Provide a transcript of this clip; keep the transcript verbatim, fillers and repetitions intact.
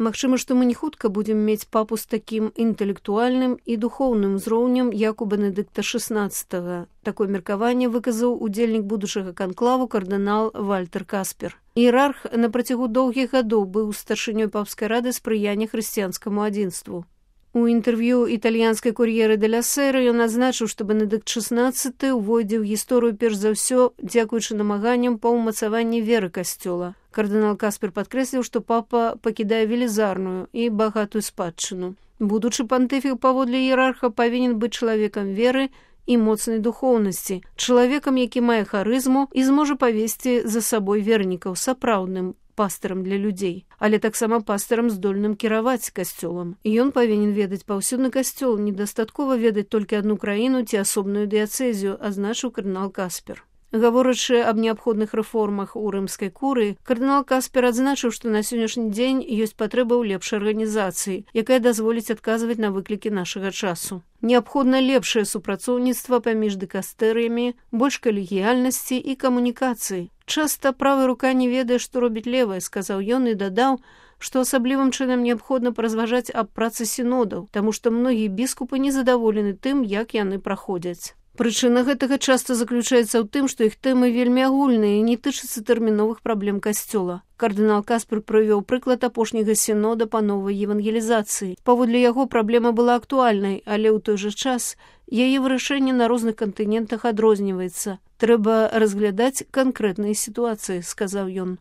Магчыма, што мы не хутка будзем мець папу з такім інтэлектуальным і духоўным узроўнем, як у Бенедыкта шаснаццатага. Такое меркаванне выказаў удзельнік будучага канклаву кардынал Вальтер Каспер. Іерарх на працягу доўгіх гадоў быў старшынёй папскай рады спрыяння хрысціянскаму адзінству. У інтэрв'ю італьянскай кур'еры де ля Сера ён адзначыў, што Бенедыкт шаснаццаты ўвойдзе ў гісторыю перш за ўсё дзякуючы намаганням па ўмацаванні веры касцёла. Кардынал Каспер падкрэсліў, што папа пакідае велізарную і багатую спадчыну. Будучы пантыфік паводле іерарха павінен быць чалавекам веры і моцнай духоўнасці, чалавекам, які мае харызму і зможа павесці за сабой вернікаў сапраўдным пастырам для людзей, але таксама пастырам здольным кіраваць касцёлам. І ён павінен ведаць паўсюдны касцёл, недастаткова ведаць толькі адну краіну ці асобную дыяцэзію, азначыў кардынал Каспер. Гаворачы аб неабходных рэформах у рымскай курыі, кардынал Каспер адзначыў, што на сённяшні дзень ёсць патрэба ў лепшай арганізацыі, якая дазволіць адказваць на выклікі нашага часу. Неабходна лепшае супрацоўніцтва паміж дыкастэрыямі, больш калегіяльнасці і камунікацыі. Часта правая рука не ведае, што робіць левая, сказаў ён і дадаў, што асаблівым чынам неабходна паразважаць аб працы сінодаў, таму што многія біскупы незадаволены тым, як яны праходзяць. Прычына гэтага часта заключаецца ў тым, што іх тэмы вельмі агульныя і не тычацца тэрміновых праблем касцёла. Кардынал Каспер прывёў прыклад апошняга сінода па новай евангелізацыі. Паводле яго праблема была актуальнай, але ў той жа час яе вырашэнне на розных кантынентах адрозніваецца. Трэба разглядаць канкрэтныя сітуацыі, сказаў ён.